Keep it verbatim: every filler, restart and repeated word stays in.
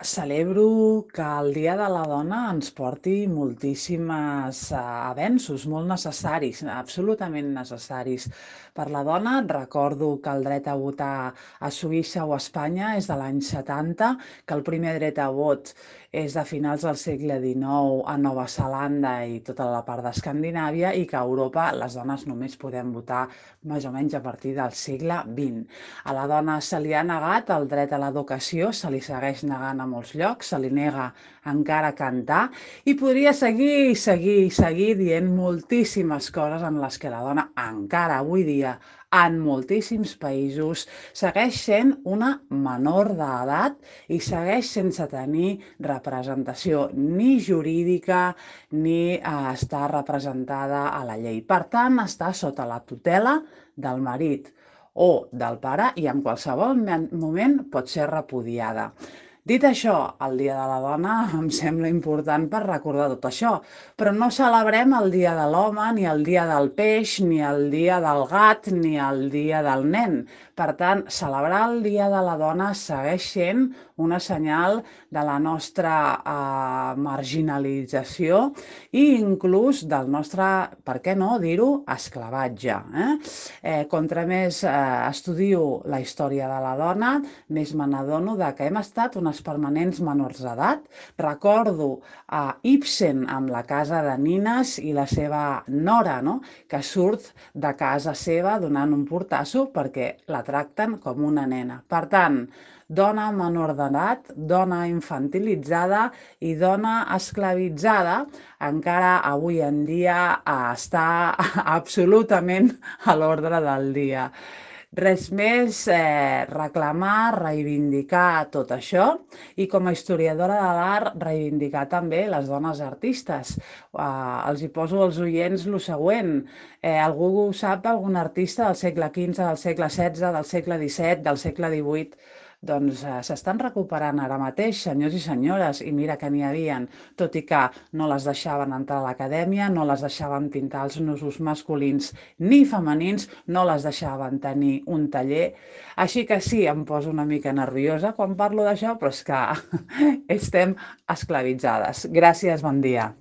Celebro que el Dia de la Dona ens porti moltíssimes eh, avenços, molt necessaris, absolutament necessaris. Per la dona, recordo que el dret a votar a Suïssa o a Espanya és de l'any setanta, que el primer dret a vot és de finals del segle dinou a Nova Zelanda i tota la part d'Escandinàvia, i que a Europa les dones només podem votar més o menys a partir del segle vint. A la dona se li ha negat el dret a l'educació, se li segueix negant a molts llocs, se li nega encara cantar, i podria seguir i seguir i seguir dient moltíssimes coses en les que la dona encara avui dia en moltíssims països segueix sent una menor d'edat i segueix sense tenir representació ni jurídica ni eh, estar representada a la llei. Per tant, està sota la tutela del marit o del pare i en qualsevol moment pot ser repudiada. Dit això, el Dia de la Dona em sembla important per recordar tot això, però no celebrem el Dia de l'Home, ni el Dia del Peix, ni el Dia del Gat, ni el Dia del Nen. Per tant, celebrar el Dia de la Dona segueix sent una senyal de la nostra eh, marginalització i inclús del nostre, per què no dir-ho, esclavatge. Eh? Eh, contra més eh, estudio la història de la dona, més me n'adono que hem estat unes permanents menors d'edat. Recordo a Ibsen amb La casa de nines i la seva nora, no? Que surt de casa seva donant un portasso perquè la tracten com una nena. Per tant, dona menor d'edat, dona infantilitzada i dona esclavitzada, encara avui en dia està absolutament a l'ordre del dia. Res més, eh, reclamar, reivindicar tot això i com a historiadora de l'art reivindicar també les dones artistes. Eh, els hi poso als oients lo següent. Eh, algú sap algun artista del segle quinze, del segle setze, del segle disset, del segle divuit? Doncs eh, s'estan recuperant ara mateix, senyors i senyores, i mira que n'hi havien, tot i que no les deixaven entrar a l'acadèmia, no les deixaven pintar els nusos masculins ni femenins, no les deixaven tenir un taller. Així que sí, em poso una mica nerviosa quan parlo d'això, però és que estem esclavitzades. Gràcies, bon dia.